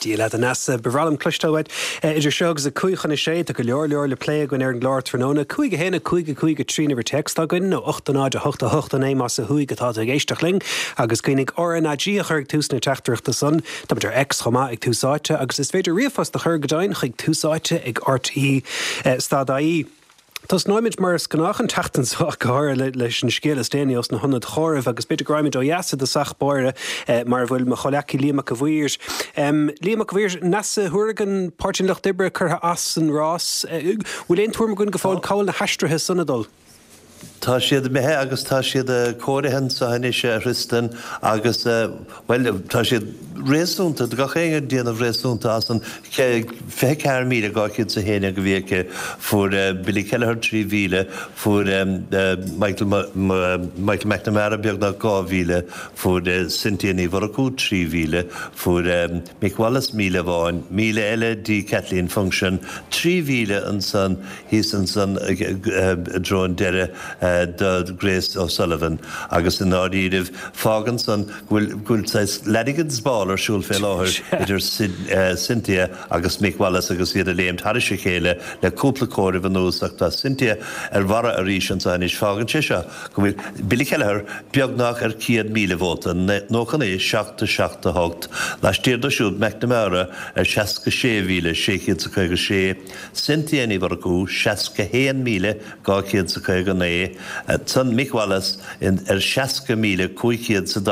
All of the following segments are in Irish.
Dia leat, a Neasa. Ba bhreá liom cloisteáil uait. Idir seo agus 5:55, tá go leor leor le plé againn ar an gclár tráthnóna. 5 1 5 5 3 an uimhir téacs atá againn, nó 8 0 8 8 9 más ó thuaidh atá tú ag éisteacht linn. Agus cuimhnigh RnaG a chur ag tús na teachtaireachta san. Táimid ar X chomh maith ag Tús Áite agus is féidir ríomhphost a chur go deimhin chuig túsáite ag rte stad ie. Tosnóimid mar is gnách an tseachtain seo ach go háirithe leis an scéal is déanaí ós na hionaid chomhairimh agus b'fhéidir go raghaimid ó dheas i dtosach báire mar a bhfuil mo chomhleacaí Liam Mac a' Mhaoir. Liam Mac a' Mhaoir, Neasa Hourigan, Páirtí an Lucht Oibre curtha as an rás. Bhfuil aon tuairim againn go fóill cá bhfuil na haistrithe san ag dul? Tá siad imithe agus tá siad comhairithe anseo anois a Thristan agus, bhuel, tá siad réasúnta, tá gach éinne ag déanamh réasúnta as an 24,211 a bhí aici. Fuair Billy Kelleher 3,000, fuair Michael Michael McNamara beagnach 2,000, fuair Cynthia Ní Mhurchú 3,000, fuair Mick Wallace 1,000 amháin, 1,000 eile dtí Kathleen Funchion, 3,000 ansan thíos ansan i dtreo an deireadh do Grace O'Sullivan agus i ndáiríribh fágann san go bhfuil go bhfuil saghas Lanigan's Ball ar siúl fé láthair idir Cynthia agus Mick Wallace agus iad ag léimt thairis a chéile le cúpla comhaireamh anuas ach tá Cynthia ar bharra arís anso anois. Fágann sé seo go bhfuil Billy Kelleher beagnach ar 100,000 vóta, 99 7 7 8, laistiar dó siúd McNamara ar 66,656, Cynthia Ní Mhurchú, 61,259, ansan Mick Wallace ar 60,547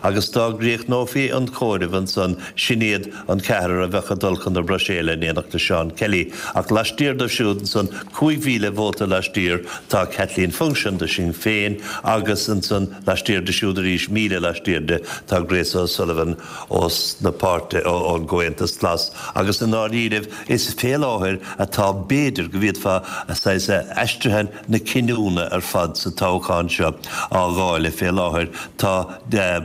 agus dá gcríochnófaí an comhaireamh ansan sin iad an ceathrar a bheadh ag dul chun na Bruiséile in éineacht le Seán Kelly. Ach laistiar dóibh siúd ansan, 5,000 vóta laistiar, tá Kathleen Funchion do Shinn Féin agus ansan laistiar di siúd arís, 1,000 laistiar di, tá Grace O'Sullivan ós na páirtí, ón gComhaontas Glas agus i ndáiríribh is fé láthair atá b'fhéidir go bhféadfá saghas aistrithe na cinniúna ar fad sa toghchán seo á dháileadh fé láthair. Tá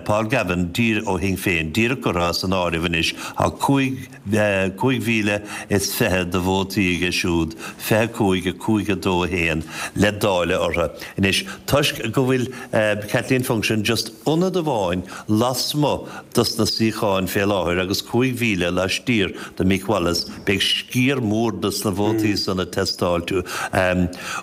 Paul Gavin ó Shinn Féin díreach curtha as an áireamh anois. Tá 5,020 de vótaí aige siúd, 25, 5, 2, 1, le dáileadh orthu. Anois toisc go bhfuil Kathleen Funchion just ionad amháin lasmuigh dos na suíocháin fé láthair agus 5,000 laistiar de Mick Wallace, beidh sciar mór dos na vótaí san ag teastáilt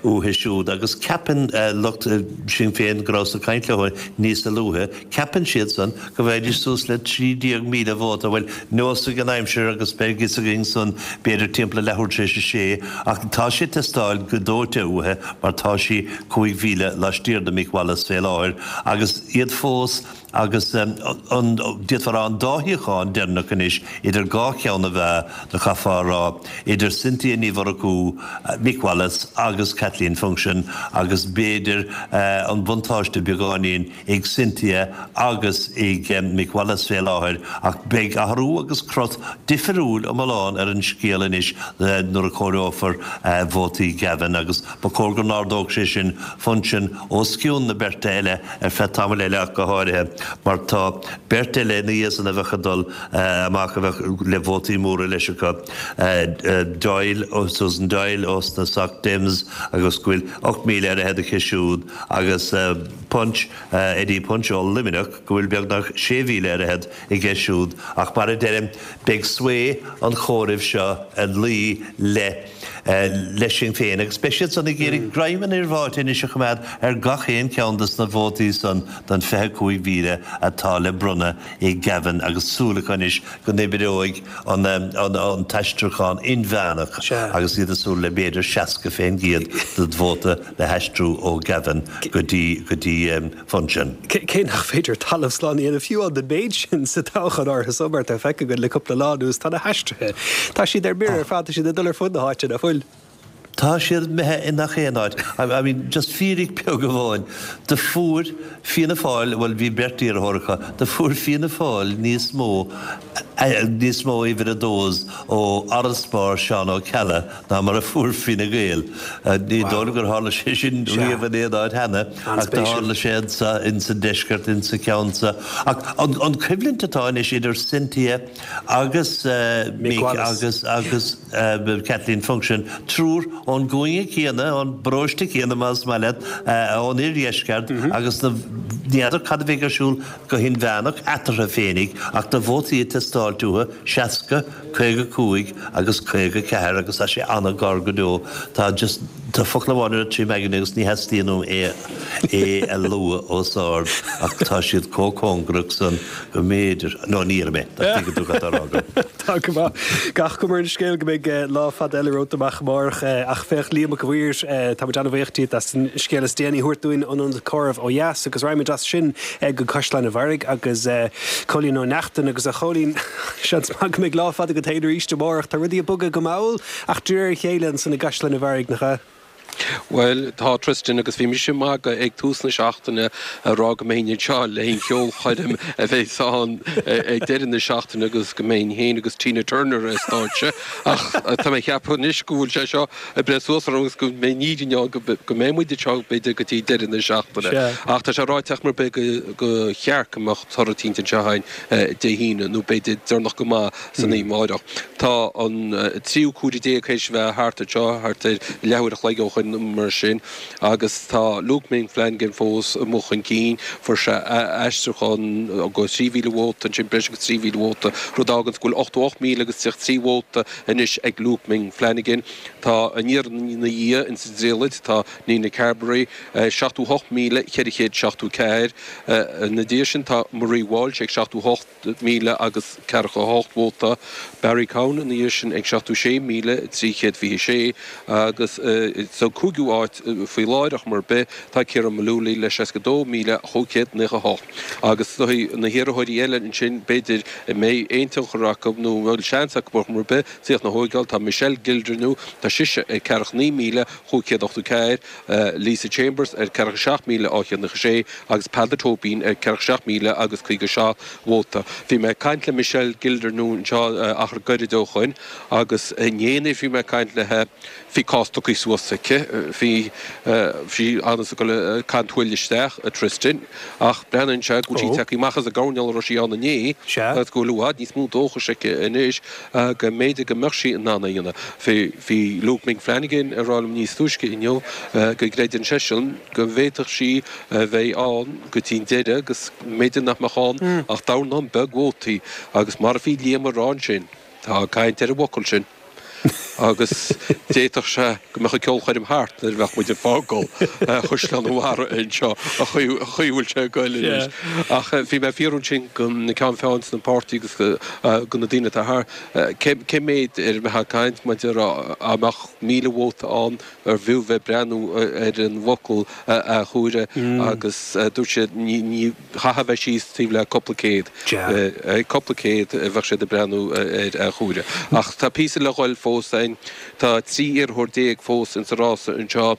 uathu siúd agus ceapann lucht Sinn Féin go rabhas ag caint leo níosa luaithe, ceapann siad san go bhfaighidís suas le 13,000 vóta, bhuel, neosfaidh an aimsir agus beidh fhios againn san b'fhéidir timpeall a leathuair tar éis a sé ach tá sé ag teastáil go dóite uathu mar tá sí 5,000 laistiar de Mick Wallace fé láthair agus iad fós Agus an, d'fhéadfá a rá, an dá shuíochán deireanach anois idir dhá cheann na meá, do chaithfeá a rá, idir Cynthia Ní Mhurchú, Mick Wallace agus Kathleen Funchion agus b'fhéidir an buntáiste beagáinín ag Cynthia agus ag Mick Wallace fé láthair ach beidh athrú agus crot difiriúil iomlán ar an scéal anois nuair a comhaireofar vótaí Gavin agus ba chóir go n-ardódh sé sin Funchion os cionn na beirte eile ar feadh tamaill eile ach go háirithe mar tá beirt eile ina dhiaidh san a bheadh ag dul amach a bheadh le vótaí móra leis acu, Doyle, Susan Doyle ós na Soc Dems agus go bhfuil 8,000 ar fhichead aici siúd agus Punch, Eddie Punch ó Luimneach go bhfuil beagnach 6,000 ar fhichead aige siúd ach mar a deirim beidh sway an chomhairimh seo ag luí le le Sinn Féin agus beidh siad san ag iarraidh greim an fhir bháite anois a choimeád ar gach aon cheann dos na vótaí san den 25,000 atá le bronnadh ag Gavin agus súil acu anois go n-oibreoidh an an t-aistriúchán inmheánach agus iad ag súil le b'fhéidir 60% den vóta le haistriú ó Gavin go dtí go dtí Funchion. Cé nach féidir talamh slán a dhéanamh fiú den mhéid sin sa toghchán áirithe so mar atá feicthe againn le cúpla lá anuas, tá na haistrithe, tá siad ar mire ar fad, tá siad ag dul ar fud na háite, nach bhfuil? Tá siad imithe i ngach aon áit. I mean, just fíric beag amháin, do fuair Fianna Fáil, bhuel bhí beirt iarrthóir acu, do fuair Fianna Fáil níos mó, níos mó uimhir a dós ó fharasbarr Seán Ó Ceallaigh ná mar a fuair Fine Gael. Ní dóigh liom gur tharla sé sin riamh in aon áit cheana, ach do tharla sé anso insa deisceart, insa cheann so. Ach an choimhlint atá anois idir Cynthia agus Mick agus agus Kathleen Funchion, triúr. ón gcúinne céanna, ón bparóiste céanna más maith leat, ón oirdheisceart agus na, ní fheadar cad a bheidh ar siúl go hinmheánach eatarthu féinig ach na vótaí ag teastáilt uathu, 60, 55 agus 54 agus tá sé an-ghar go deo. Tá just, tá focal amháin ar an m'aigne agus ní theastaíonn uaim é é a lua os ard ach tá siad chomh cóngarach san go mb'fhéidir, no ní déarfaidh mé, dá dtuigeann tú cad tá á rá agam. Tá go maith. Gach cuma ar an scéal go mbeidh lá fada eile romhat amach amárach. Ach féach, Liam Mac a' Mhaoir, tá muid an-bhuíoch díot as an scéal is déanaí a thabhairt dúinn ón ionad comhairimh ó dheas agus raghaimid as sin go Caisleán an Bharraigh agus Cóilín Ó Neachtain agus a Chóilín, seans maith go mbeidh lá fada agat féin arís amárach. Tá rudaí ag bogadh go mall ach de réir a chéile ansan i gCaisleán an Bharraigh, nach ea? Bhuel, tá, Tristan, agus bhí mise ag magadh ag tús na seachtaine ag rá go mbeinn anseo le an cheolchoirm a bheas ann ag deireadh na seachtaine agus go mbeinn féin agus Tina Turner ar stáitse ach tá mé ag ceapadh anois go bhfuil sé seo ag breith suas orm agus go mbeidh an fhírinne ann go mbeidh muid anseo b'fhéidir go dtí deireadh na seachtaine. Ach tá sé ráite ach mar bith go cheart go mbeadh toradh cinnte anseo againn Dé hAoine nó b'fhéidir deireanach go maith san oíche amáireach. Tá an tríú cuaire déag théis a bheith thart anseo, thart ar leathuair a chloig ó shoin nó mar sin, agus tá Luke Ming Flanagan fós amuigh chun cinn. Fuair sé aistriúchán go 3,000 vóta ansin, breis agus 3,000 vóta, rud a fháganns go bhfuil 88,000 agus 33 vóta anois ag Luke Ming Flanagan. Tá an iarrthóir ina dhiaidh ins an dtriallait, tá Nina Carberry, 78,474. Ina dhiaidh sin tá Marie Walsh ag 78. 1,000 agus 48 vóta, Barry Cowen ina dhiaidh sin ag 76,326 agus sa cúigiú háit faoi láthair ach mar bith tá Ciara Mullooly le 62,598. Agus na hiarrthóirí eile ansin b'fhéidir a mbeidh aon tionchar acu nó a bhfuil seans acu ar chuma ar bith suíochán a thóigeáil tá Michelle Gildernew, tá sise ag 49,584, Lisa Chambers ar 47,896 agus Peadar Tóibín ar 47,000 agus 57 vóta. Bhí mé ag caint le Michelle Gildernew anseo achar gairid ó shoin agus inné nuair a bhí mé ag caint léithe bhí cás tugtha suas aici. Bhí sí ann is ag dul ag caint thuill isteach, a Tristan, ach breathnaíonn sé go bhfuil sí tagtha amach as an gcoirnéal a raibh sí ann inné agus go bhfuil i bhfad níos mó dóchais aici anois go mb'fhéidir go mbeadh sí in ann é a dhéanamh. Bhí Luke Ming Flanagan ag rá liom níos túisce inniu go gcreideann seisean go bhféadfadh sí a bheith ann go dtí an deireadh agus mb'fhéidir nach mbeadh ann ach dornán beag vótaí agus mar a bhí Liam ag rá ansin, tá caint ar an bhfocal sin agus d'fhéadfadh sé go mbeadh an ceolchoirm thart nuair a bheadh muid ag fágáil Chaisleán an Bharraigh anseo, an chaoi a bhfuil sé ag goil anois. Ach bhí mé ag fiafraí ansin go na ceann feadhain sna páirtí agus go na daoine atá thart, cé méid ar a mbeifeá ag caint maidir dá mbeadh 1,000 vóta ann ar bhfiú bheith ag breathnú ar an bhfocal athchomhaireamh agus dúirt siad ní chaithfeá bheith síos taobh le cúpla céad, cúpla céad a bheadh siad ag breathnú ar athchomhaireamh. Ach tá píosa le dhul fós ann. Tá 13 iarrthóir fós insa rása anseo.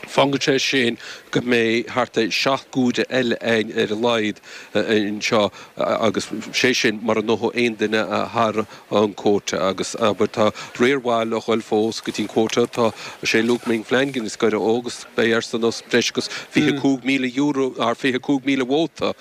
Fágann sé sin go mbeidh thart ar 7 gcuaire eile ann ar a laghad anseo agus sé sin mura ngnóthóidh aon duine thar an quota agus abair tá riar mhaith le dhul fós go dtí an quota. Tá sé Luke Ming Flanagan is gaire dhó agus beidh airsean breis agus €25,000 or 25,000 vóta a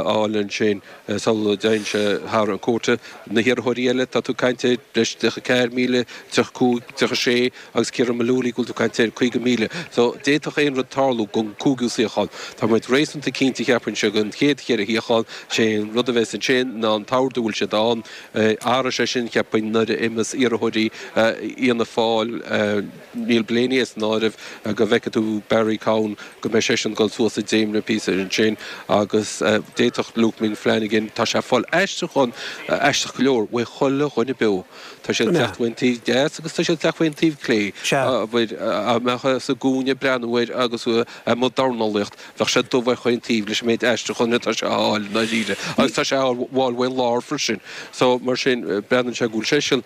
fháil ansin sula dtéann sé thar an quota. Na hiarrthóirí eile tá tú ag caint ar breis 34,000, 35, 36. Agus Ciara Mullooly, go bhfuil tú ag caint ar 50,000. So, d'fhéadfadh aon rud tarlú don cúigiú suíochán. Tá muid réasúnta cinnte, cheapfainnse, don chéad cheithre shuíochán. Sé an rud a bheas ansin ná an t-ord a bhfuil siad ann. Athróidh sé sin, cheapfainn, nuair a imeos iarrthóirí Fhianna Fáil, Neil Blaney as an áireamh, go bhfeicfidh tú Barry Cowen, go mbeidh seisean ag dul suas i dcéimeanna píosa ansin. Agus d'fhéadfadh Luke Ming Flanagan, tá sé ag fáil aistriúchán aisteach go leor uaidh chuile dhuine beo. Tá siad ag teacht uain taobh deas agus tá siad ag teacht uain taobh clé. Abair, dá mbeifeá sa gcúinne ag breathnú air agus tú i mbun dornálaíocht, bheadh sé dubh ar chaon taobh leis an méid aistriúcháin atá sé a fháil i ndáiríre. Agus tá sé á fháil uain lár freisin. So, mar sin, breathnaíonn sé go bhfuil seisean,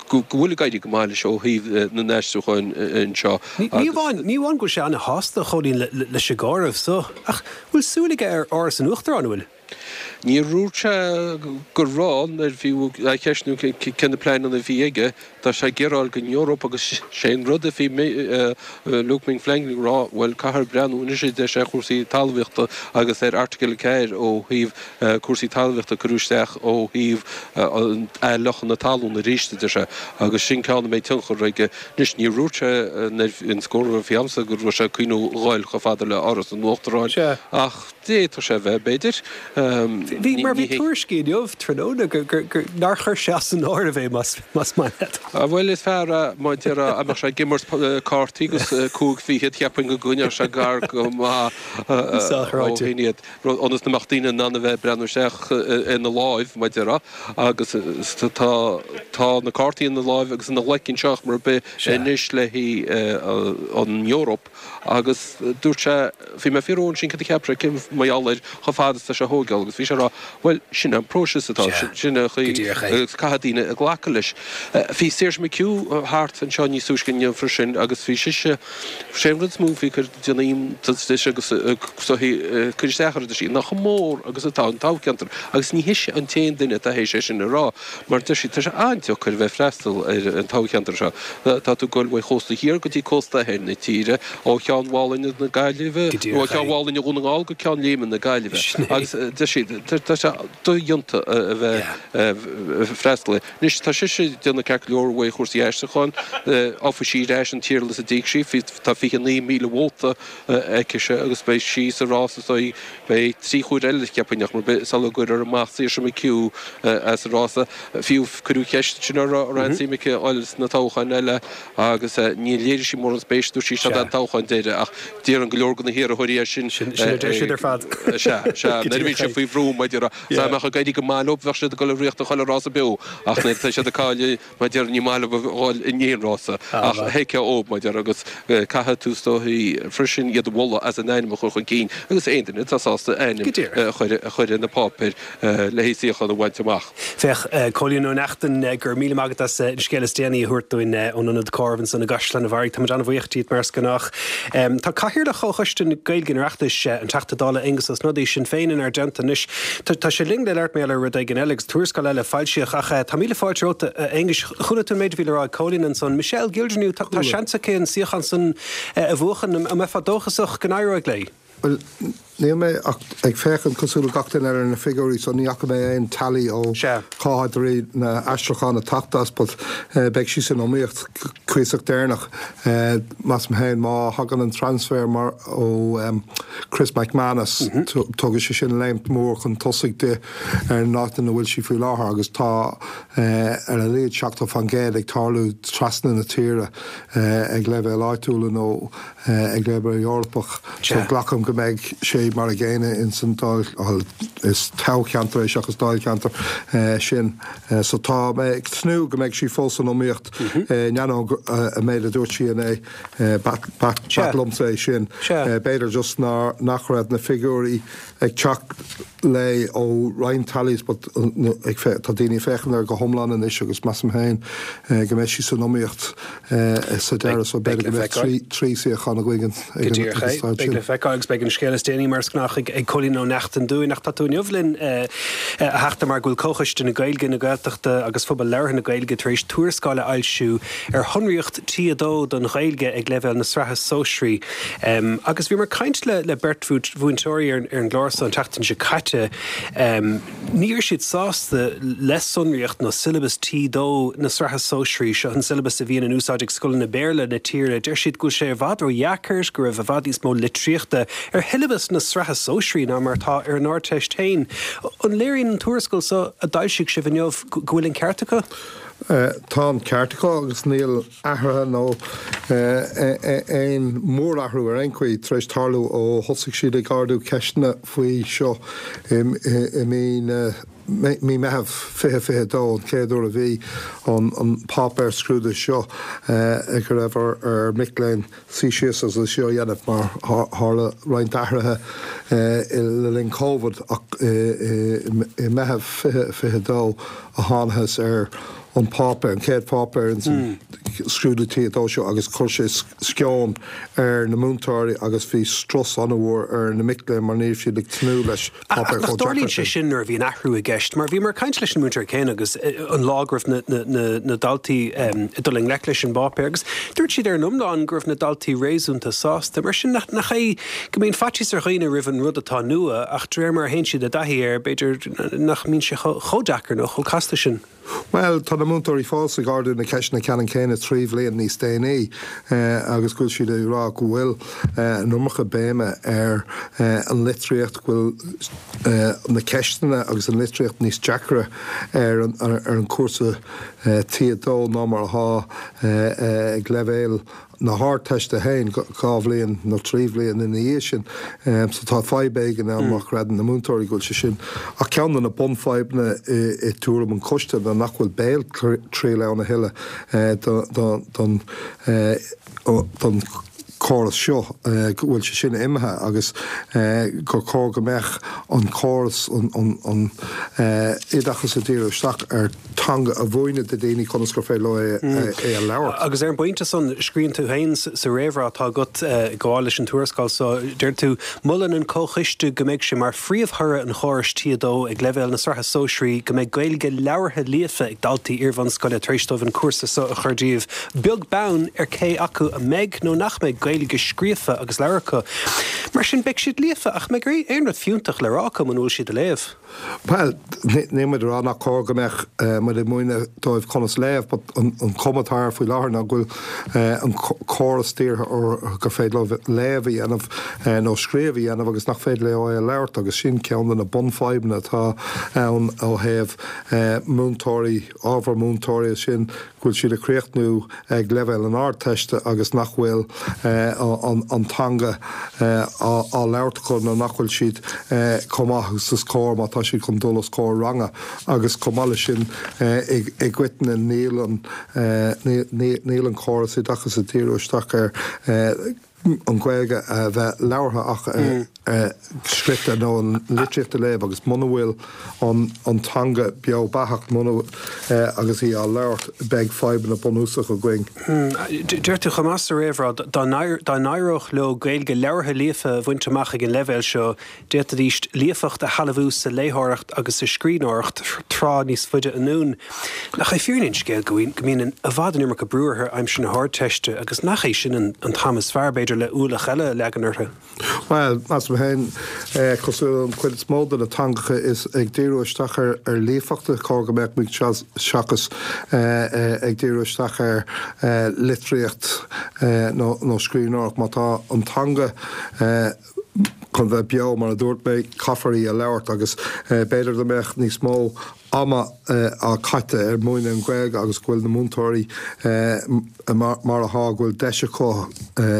go bhfuil ag éirí go maith leis ó thaobh na n-aistriúchán anseo. Ní amháin, ní amháin go bhfuil sé an-shásta, a Chóilín, leis an gcomhaireamh so, ach bhfuil súil aige ar Áras an Uachtaráin, an bhfuil? Níor dhúirt sé go raibh nuair a bhí á cheistniú cé na pleananna a bhí aige, tá sé ag iarraidh dul don Eoraip agus sé an rud a bhí Luke Ming Flanagan ag rá, bhuel caithfear breathnú anois a deir sé ar chúrsaí talmhaíochta agus ar Article 4 ó thaobh cúrsaí talmhaíochta a cuireadh isteach ó thaobh athfhliuchadh na talún arís a deir sé agus sin ceann a mbeidh tionchar aige. Anois níor dhúirt sé nuair an scór a bhí agamsa go raibh sé ag cuimhniú a dhul chomh fada le Áras an Uachtaráin ach d'fhéadfadh sé a bheith, b'fhéidir. Bhí, mar bhí tuairiscí inniu tráthnóna gur, nár chuir sé as an áireamh é más maith leat. Bhuel is fearr é mar a déarfá dá mbeadh sé ag imirt cártaí agus cúig fichead cheapfainn go gcoinneodh sé gar go maith ó shin iad. rud ionas go mbeadh daoine in ann a bheith ag breathnú isteach ina láimh, mar a déarfá, agus tá tá na cártaí ina láimh agus ina ghlaic anseo mar ar bith anois le haghaidh an Eoraip agus dúirt sé, bhí mé ag fiafraí ansin cad a cheap sé, cén mar gheall air chomh fada is atá sé a thógáil agus bhí sé ag rá, bhuel, sin an próiseas atá, sin an chaoi agus caithfidh daoine glacadh leis. Bhí Saoirse McHugh thart anseo níos túisce inniu freisin agus bhí sise, sé an rud is mó a bhí ag cur déanamh iontais di agus cur isteach uirthi, deir sí, ná chomh mór agus atá an toghcheantar agus ní hise an t-aon duine atá théis é sin a rá mar deir sí, tá sé an-deacair a bheith ag freastal ar an toghcheantar seo. Tá tú ag dul ó chósta thiar go dtí cósta thoir na tíre, ó Cheann Mhálainne na Gaillimhe, ó Cheann Mhálainne Dhún na nGall go Ceann Léime na Gaillimhe agus deir sí, tá sé dodhéanta a bheith ag freastal air. Anois, tá sise ag déanamh ceart go leor ó thaobh chúrsaí aistriúcháin. Gheobhaidh sí ar ais an t-iarlathas a d'íoc sí. Tá 29,000 vóta aicise agus beidh sí sa rás is dóigh. Beidh trí chuair eile, cheapfainn, nach mar bith, sula gcuirfear amach Saoirse McHugh as an rása. Fiú, cuireadh ceist ansin uirthi an raibh aon suim aici a dhul sna toghcháin eile agus níor léirigh sí mórán spéise. Dúirt sí, Seo é an toghchán deiridh ach déarfainn go leor de na hiarrthóirí é sin. Sin a deir siad ar fad. Sea, sea. Nuair a bhíonn siad faoi bhrú, mar a déarfá. Dá mbeadh ag éirí go maith leo, bheadh siad ag dul ag ritheacht chuile rása beo, ach nuair atá siad ag cailleadh, mar a déarfá, ní maith leo a dhul in aon rása. Ach thuigfeá dhóibh, mar a déarfá, agus caithfidh tú is dóichí freisin iad a mholadh as a n-ainm a chur chun cinn, agus aon duine atá sásta a ainm a chur ar na páipéir le haghaidh suíochán a bhaint amach. Féach, Cóilín Ó Neachtain, go raibh míle maith agat as an scéal is déanaí a thabhairt dúinn ón Ionad Comhairimh ansan i gCaisleán an Bharraigh. Táimid an-bhuíoch díot mar is gnách. Tá Cathaoirleach Chomhchoiste na Gaeilge an Oireachtais, an Teachta Dála Aengus Ó Snodaigh, Sinn Féin, inár dteannta anois. Tá sé linn le labhairt mar gheall ar rud éigin eile agus tuarascáil eile a foilsíodh ach tá míle fáilte romhat, a Aonghuis. Chuala tú an méid a bhí le rá ag Cóilín ansan. Michelle Gildernew, tá seans aici an suíochán san a bhuachan. An mbeifeá dóchasach go n-éireoidh léi? Bhuel, níl mé ach ag féachaint cosúil le gach duine eile ar na figiúirí so ní fhaca mé aon tally ó cá háit a raibh na aistriúcháin ag teacht as but beidh sí san iomaíocht cuíosach deireanach. Measaim féin má thagann an transfer mar ó Chris McManus tógfaidh sé sin léimt mór chun tosaigh di ar an áit ina bhfuil sí faoi láthair agus tá ar a laghad 70% ag tarlú trasna na tíre ag leibhéal áitiúla nó ag leibhéal Eorpach so glacaim go mbeidh sé mar a gcéanna ins an Dáil, bhuel is toghcheantar é seachas Dáilcheantar sin so tá mé ag tnúth go mbeidh sí fós san iomaíocht in ainneoin an méid a dúirt sí inné, b'ait liomsa é sin. B'fhéidir just nach raibh na figiúirí ag teacht léi ó roinnt tallies but tá daoine ag féachaint air go hiomlán anois agus measaim féin go mbeidh sí san iomaíocht sa deireadh so b'fhéidir go mbeidh trí suíochán againn ag an staid sin. Beidh le feiceáil agus beidh an scéal is déanaí mar is gnách ag Cóilín Ó Neachtain dúinn ach tá tú inniu linn a Theachta mar go bhfuil Comhchoiste na Gaeilge, na Gaeltachta agus Phobal Labhartha na Gaeilge tar éis tuarascáil a fhoilsiú ar shonraíocht T2 don Ghaeilge ag leibhéal na sraithe sóisearaí. Agus bhíomar ag caint le beirt mhúinteoirí ar an gclár seo an tseachtain seo caite. Ní raibh siad sásta le sonraíocht nó siollabas T2 na sraithe sóisearaí, seo an siollabas a bhíonn in úsáid ag scoileanna Béarla na tíre. Deir siad go bhfuil sé i bhfad ródheacair, go raibh i bhfad níos mó litríochta ar shiollabas na sraithe sóisearaí ná mar atá ar an Ardteist féin. An léiríonn an tuarascáil seo a d'fhoilsigh sibh inniu go bhfuil an ceart acu? Tá an ceart acu agus níl athruithe nó aon mhórathrú ar aon chaoi tar éis tarlú ó thosaigh siad ag ardú ceisteanna faoi seo i mí na mí Meitheamh 2022, an chéad uair a bhí an páipéar scrúdaithe seo go raibh ar mhic léinn suí síos agus é seo a dhéanamh mar tharla roinnt athruithe le linn Covid ach i Meitheamh 2022 a thángthas ar. an páipéar, an chéad pháipéar ins an scrúdú T2 seo agus chuir sé sceon ar na múinteoirí agus bhí strus an-mhór ar na mic léinn mar ní raibh siad ag tnúth leis Ach páipéar nach chomh dtarlaíonn deacair sé sin. sin nuair a bhíonn athrú i gceist? Mar bhíomar ag caint leis na múinteoirí céanna agus an lá go raibh na daltaí ag dul i ngleic leis an bpáipéar agus dúirt siad ar an iomlán go raibh na daltaí réasúnta sásta. Mar sin nach é go mbíonn faitíos ar dhaoine roimh an rud atá nua ach de réir mar a théann siad i dtaithí air b'fhéidir nach mbíonn sé chomh deacair nó chomh casta sin. Bhuel, tá na múinteoirí fós ag ardú na ceisteanna ceannann céanna 3 bhliain níos déanaí agus go bhfuil siad ag rá go bhfuil an iomarca béime ar an litríocht, go bhfuil na ceisteanna agus an litríocht níos deacra ar an chúrsa T2 ná mar atá ag leibhéal na hArdteiste féin 2 bhliain nó 3 bhliain ina dhiaidh sin. So tá fadhb éigin ann má chreideann na múinteoirí go bhfuil sé sin. Ach ceann de na bunfhadhbanna i dtuairim an choiste ná nach bhfuil béaltriail ann a thuilleadh don don chóras seo, go bhfuil sé sin imithe agus gur chóir go mbeadh an córas, an oideachas ag díriú isteach ar teanga a mhúineadh do dhaoine conas gur féidir leo é a labhairt. Agus ar an bpointe san, scríobhann tú féin sa réamhrá atá agat ag gabháil leis an tuarascáil so, deir tú, 'Molann an Comhchoiste go mbeidh sé mar phríomhthoradh an chórais T2 ag leibhéal na Sraithe Sóisearaí go mbeidh Gaeilge labhartha líofa ag daltaí iarbhunscoile tar éis dóibh an cúrsa so a chur díobh, beag beann ar cé acu a mbeidh nó nach mbeidh Gaeilge scríofa agus labhartha acu. Mar sin, beidh siad líofa ach an mbeidh aon rud fiúntach le rá acu muna bhfuil siad ag léamh. Bhuel, níl muid ag rá nach cóir go mbeadh muid ag múineadh dóibh conas léamh, but an chuma atá air faoi láthair ná go bhfuil an córas dírithe orthu gur féidir leo léamh a dhéanamh nó scríobh a dhéanamh agus nach féidir leo é a labhairt agus sin ceann de na bunfhadhbanna atá ann ó thaobh múinteoirí, ábhar múinteoirí, sin go bhfuil siad ag críochnú ag leibhéal an Ardteiste agus nach bhfuil an teanga á labhairt acu nó nach bhfuil siad chomh maith agus is cóir má tá siad chun dul os comhair ranga agus chomh maith leis sin i gcoitinne níl an níl an córas oideachais ag díriú isteach ar an Ghaeilge a bheith labhartha ach scrite nó an litríocht a léamh agus muna bhfuil an teanga beo beathach muna agus í á labhairt beidh fadhbanna bunúsacha againn. Deir tú chomh maith sa réamhrá dá n-éireodh leo Gaeilge labhartha líofa a bhaint amach ag an leibhéal seo, D'fhéadfaidís líofacht a shealbhú sa léitheoireacht agus sa scríbhneoireacht tráth níos faide anonn. Nach é fírinne an scéil go mbíonn i bhfad an iomarca brú orthu aimsir na hArdteiste agus nach é sin an t-am is fearr, b'fhéidir, le ualach eile a leagan orthu? Bhuel, measaim féin, cosúil le an chuid is mó de na teangacha, is ag díriú isteach ar líofacht a chóir go mbeadh muid seachas ag díriú isteach ar litríocht nó scríbhneoireacht. Má tá an teanga. chun bheith beo, mar a dúirt mé, caithfear í a labhairt agus b'fhéidir dá mbeadh níos mó ama á caite ar múineadh an Ghaeilge agus go bhfuil na múinteoirí mar atá, go bhfuil deis acu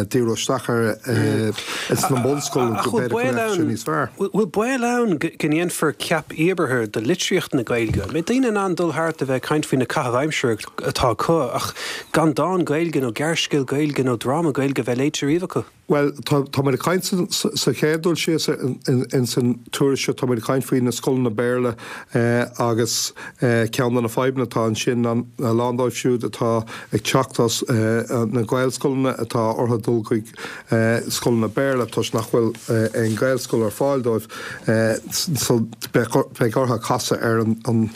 díriú isteach air sna bunscoileanna, go b'fhéidir go mbeadh sé níos fearr. Bhfuil baol ann go ndéanfar ceap íobartha de litríocht na Gaeilge? An mbeidh daoine in ann dul thart a bheith ag caint faoi na caithimh aimsire atá acu ach gan dán Gaeilge nó gearrscéal Gaeilge nó dráma Gaeilge a bheith léite riamh acu? Bhuel, tá muid ag caint sa chéad dul síos ins an tuairisc seo, tá muid ag caint faoi na scoileanna Béarla agus ceann de na fadhbanna atá ansin ná a lán dóibh siúd atá ag teacht as na Gaelscoileanna atá orthu dul chuig scoileanna Béarla toisc nach bhfuil aon Ghaelscoil ar fáil dóibh so beidh orthu casadh ar an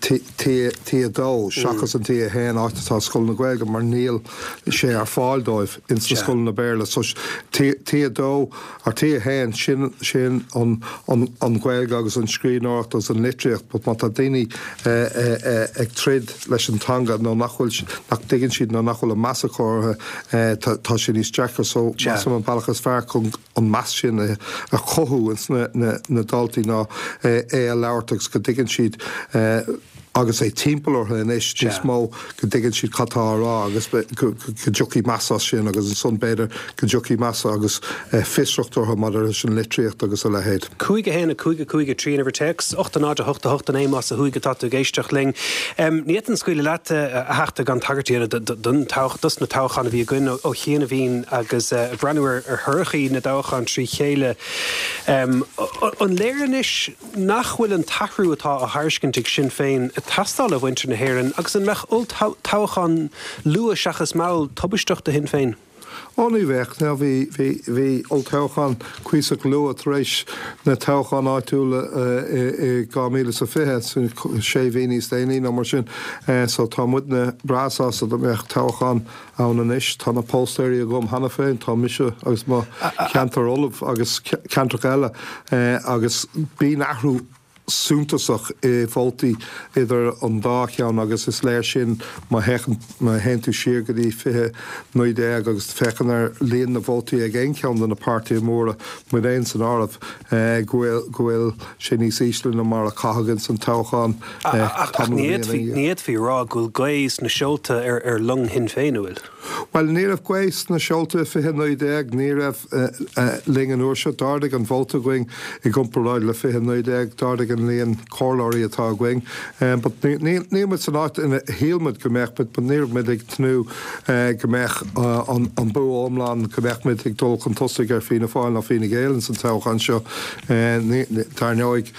T2 seachas an T1 áit atá scoileanna Gaeilge mar níl sé ar fáil dóibh ins na scoileanna Béarla. So T2 or T1 sin sin an an Ghaeilge agus an scríbhneoireacht agus an litríocht but má tá daoine ag troid leis an teanga nó nach bhfuil nach dtuigeann siad nó nach bhfuil an meas acu orthu tá tá sé níos deacra so measaim an bealach is fearr chun an meas sin a chothú ins na na daltaí ná é a labhairt agus go dtuigeann siad agus é timpeall orthu anois níos mó, go dtuigeann siad cad tá á rá agus go dtiocfaidh meas as sin agus ansan b'fhéidir go dtiocfaidh meas agus fiosracht orthu maidir leis an litríocht agus a leithéid. 5 1 5 5 3 an uimhir téacs, 8 0 8 8 9 más ó thuaidh atá tú ag éisteacht linn. Ní fhéadfainn scaoileadh leat, a Theachta, gan tagairt a dhéanamh don toghchán, dos na toghcháin a bhí againn ó chianaibhín agus ag breathnú ar thorthaí na dtoghchán trí chéile. An léir anois, Nach bhfuil an t-athrú atá á thairiscint ag Sinn Féin ag. ag teastáil ó mhuintir na hÉireann agus an mbeadh olltoghchán luath seachas mall tubaisteach do Shinn Féin? Ó ní bheadh, now bhí, bhí, bhí olltoghchán cuíosach luath tar éis na toghcháin áitiúla i, i 2020, sin sé mhí níos déanaí nó mar sin, so tá muidne breá sásta dá mbeadh toghchán ann anois. Tá na póstaeirí agam cheana féin, tá mise agus mo cheantar ullamh agus ceantracha eile agus bíonn athrú suntasach i vótaí idir an dá cheann agus is léir sin má théann má théann tú siar go dtí 2019 agus féachann ar líon na vótaí ag aon cheann de na páirtithe móra, muid féin san áireamh, go bhfuil go bhfuil sé níos ísle ná mar a caitheadh ins an toghchán Ach tamall de ní bhliana. Ní fhéadfaí a rá go bhfuil gaoth sna seolta ar long Shinn Féin, an bhfuil? Bhuel, ní raibh gaoth sna seolta i 2019, ní raibh linn an uair seo. D'ardaigh an vóta againn i gcomparáid le 2019, d'ardaigh an líon comhairleoirí atá againn. But níl muid san áit ina shíl muid go mbeadh muid, but ní raibh muid ag tnúth go mbeadh an bua iomlán, go mbeadh muid ag dul chun tosaigh ar Fianna Fáil nó Fine Gael ins an toghchán seo. Dar ndóigh,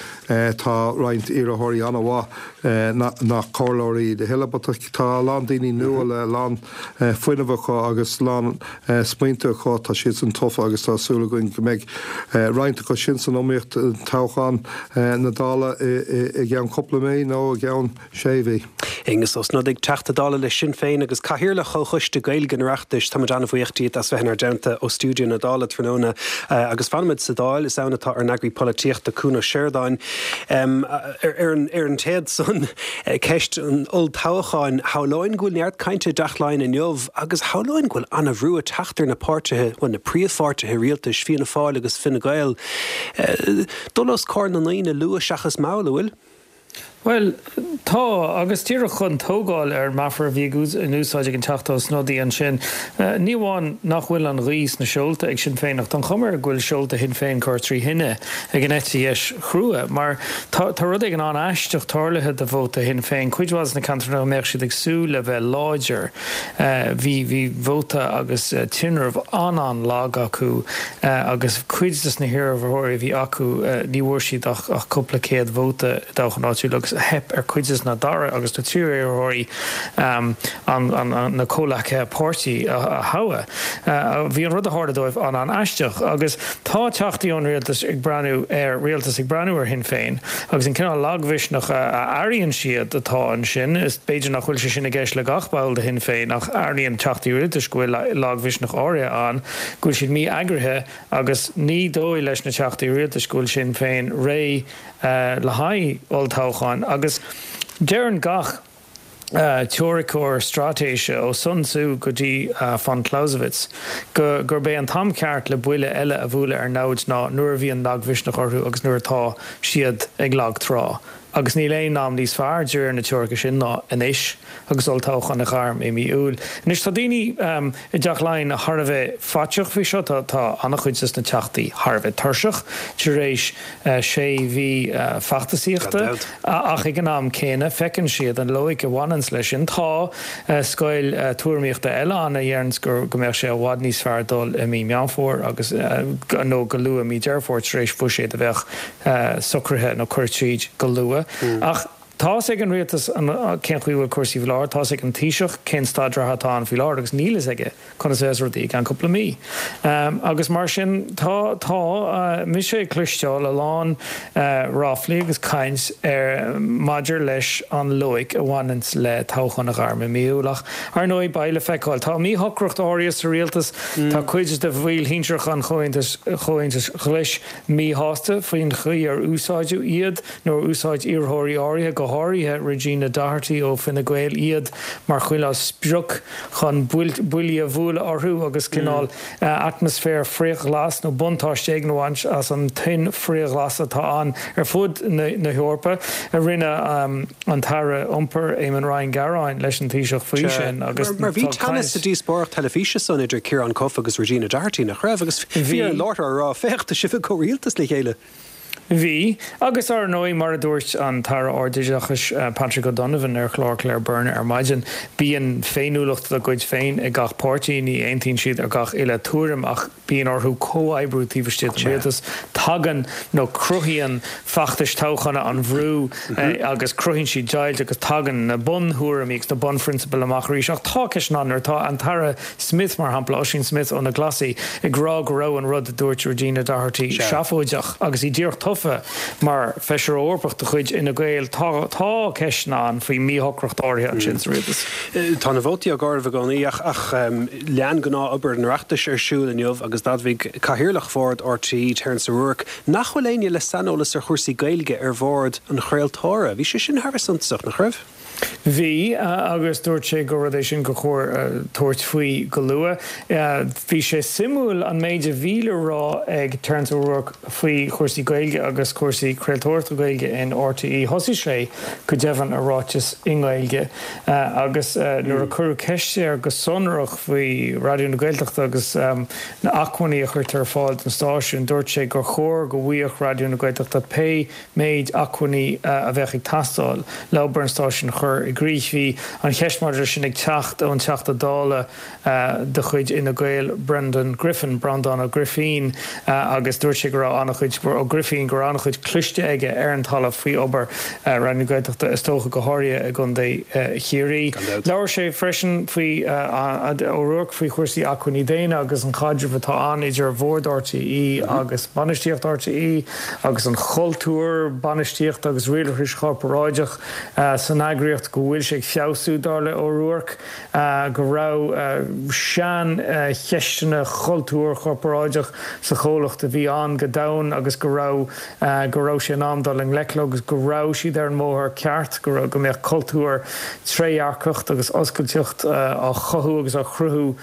tá roinnt iarrthóirí an-mhaith nach comhairleoirí iad a thuilleadh, but tá a lán daoine nua le a lán fuinnimh acu agus a lán smaointe acu, tá siadsan tofa agus tá súil againn go mbeidh roinnt acu sin san iomaíocht toghchán na Dála i gceann cúpla mí nó i gceann sé mhí. Aengus Ó Snodaigh, Teachta Dála le Sinn Féin agus Cathaoirleach Chomhchoiste Gaeilge an Oireachtais, táimid an-bhuíoch díot as bheith inár dteannta ó stiúideo na Dála tráthnóna agus fanfaimid sa Dáil, is ann atá ár n-eagraí polaitíochta, Cuan Ó Seireadáin. Ar an téad san, ceist an olltoghcháin, shamhlóinn go bhfuil neart cainte i dTeach Laighean inniu agus shamhlóinn go bhfuil an-bhrú ag teacht ar na páirtithe, bhuel, na príomhpháirtithe rialtais, Fianna Fáil agus Fine Gael, dul os comhair na ndaoine luath seachas mall, an bhfuil? Bhuel, tá, agus díreach chun tógáil ar an meafar a bhí in úsáid ag an Teachta Ó Snodaigh ansin, ní amháin nach bhfuil an ghaoth sna seolta ag Sinn Féin ach tá an chuma air go bhfuil seolta Shinn Féin curtha trí thine ag an eite dheis chrua, mar tá tá rud éigin an-aisteach tarlaithe do vóta Shinn Féin. Cuid mhaith de na ceantracha a mbeadh siad ag súil le bheith láidir, bhí bhí vóta agus tinreamh an-an-lag acu agus cuid de na hiarrthóirí a bhí acu ní bhfuair siad ach ach cúpla céad vóta i dtoghchán áitiúil agus theip ar cuid de na dara agus na tríú iarrthóirí an an na comhleacaithe páirtí a thoghadh. Bhí an rud a tharla dóibh an-an-aisteach agus Tá teachtaí ón rialtas ag breathnú ar rialtas ag breathnú ar Shinn Féin agus an cineál lagmhisneach a airíonn siad atá ansin, is b'fhéidir nach bhfuil sé sin i gceist le gach ball de Shinn Féin ach airíonn teachtaí rialtais go bhfuil lagmhisneach áirithe ann, go bhfuil siad mí-eagraithe agus ní dóigh leis na teachtaí rialtais go bhfuil Sinn Féin réidh le haghaidh olltoghcháin agus deireann gach teoiriceoir straitéise ó Sun Tzu go dtí von Clausewitz, go gurb é an t-am ceart le buille eile a bhualadh ar namhaid ná nuair a bhíonn lagmhisneach orthu agus nuair atá siad ag lagtrá. Agus níl aon am níos fearr, de réir na teoirice sin, ná anois agus olltoghchán á ghairm i mí Iúil. Anois, tá daoine i dTeach Laighean thar a bheith faiteach faoi seo. Tá an-chuid des na teachtaí thar a bheith tuirseach tar éis sé mhí feachtasaíochta. Ach ag an am céanna, feiceann siad an loighic a bhaineanns leis sin. Tá scoil tuairimíochta eile ann a dheireanns go mbeadh sé i bhfad níos fearr dul i mí Meán Fómhair agus, nó go luath i mí Deireadh Fómhair tar éis buiséad a bheadh socraithe nó curtha tríd go luath. Ach tá's ag an rialtas cén chaoi a bhfuil cúrsaí faoi láthair, tá's ag an Taoiseach cén staid reatha atá ann faoi láthair agus níl fhios aige conas a bheas rudaí i gceann cúpla mí. Agus mar sin, tá, tá mise ag cloisteáil a lán ráflaí agus caint ar, maidir leis an loighic a bhaineanns le toghchán a ghairm i mí Iúil. Ach, ar ndóigh, beidh le feiceáil. Tá míshocracht áirithe sa rialtas. Tá cuid de bhaill shinsearacha an Chomhaontais, Chomhaontais Ghlais míshásta faoin chaoi ar úsáideadh iad, nó ar úsáid iarrthóirí áirithe, go háirithe Regina Doherty ó Fine Gael, iad mar chineál sprioc chun buillí a bhualadh orthu agus cineál atmaisféar frith-ghlas nó buntáiste éigin a bhaint as an tuin frith-ghlas atá ann ar fud na hEorpa. Rinne an tAire Iompair Eamon Ryan gearáin leis an Taoiseach faoi sin agus Mar bhí teannas sa díospóireacht teilifíse san idir Ciarán Cuffe agus Regina Doherty, nach raibh? Agus bhí ar an láithreoir a rá, féach, tá sibh i gcomhrialtas le chéile. Bhí, agus ar ndóigh, mar a dúirt an tAire Ardoideachais Patrick O'Donovan ar chlár Claire Byrne ar maidin, bíonn féiniúlacht dá gcuid féin ag gach páirtí, ní aontaíonn siad ar gach uile tuairim ach bíonn orthu comhoibriú taobh istigh den rialtas. Tagann, nó cruthaíonn feachtais toghcháin an bhrú agus cruthaíonn siad deighilt agus tagann na bunthuairimí agus na bunphrionsabail amach arís. Ach tá ceisteanna ann nuair atá an tAire Smith, mar shampla, Ossian Smyth ó na Glasaigh, ag rá go raibh an rud a dúirt Regina Doherty seafóideach agus í díreach tofa mar Feisire Eorpach de chuid Fhine Gael. Tá tá ceisteanna ann faoi mhíshocracht áirithe ansin sa rialtas. Tá na vótaí á gcomhaireamh i gcónaí ach ach lean gnáth-obair an Oireachtais ar siúl inniu agus d'admhaigh Cathaoirleach Bhord RTÉ, Terence O'Rourke, nach bhfuil éinne le saineolas ar chúrsaí Gaeilge ar bhord an chraoltóra. Bhí sé sin thar a bheith suntasach, nach raibh? Bhí, agus dúirt sé gur rud é sin gur chóir tabhairt faoi go luath. Bhí sé suimiúil an méid a bhí le rá ag Terence O'Rourke faoi chúrsaí Gaeilge agus cúrsaí craoltóireachta Gaeilge in RTÉ. Thosaigh sé, go deimhin, a ráiteas i nGaeilge agus nuair a cuireadh ceist air go sonrach faoi Raidió na Gaeltachta agus na acmhainní a chuirtear ar fáil don stáisiún, dúirt sé gur chóir go bhfaigheadh Raidió na Gaeltachta pé méid acmhainní a bheadh ag teastáil le obair an stáisiúin a chur i gcrích. Bhí an cheist maidir leis sin ag teacht ón Teachta Dála de chuid Fhine Gael, Brendan Griffin, Breandán Ó Grifín, agus dúirt sé go raibh an-chuid, Ó Grifín, go raibh an-chuid cloiste aige ar an talamh faoi obair Raidió na Gaeltachta, is dócha go háirithe i gContae Chiarraí. Labhair sé freisin faoi, O'Rourke, faoi chúrsaí acmhainní daonna agus an chaidreamh atá ann idir Bhord RTÉ agus bainistíocht RTÉ. agus an chultúr bainistíochta agus rialachais chorparáideach san eagraíocht, go bhfuil sé ag feabhsú, dar le O'Rourke, go raibh seancheisteanna chultúir chorparáideach sa chomhlacht a bhí ann go domhain agus go raibh go raibh sé in am dul i ngleic leo agus go raibh siad ar an mbóthar ceart, go raibh go mbeadh cultúr trédhearcacht agus oscailteacht á chothú agus á chruthú.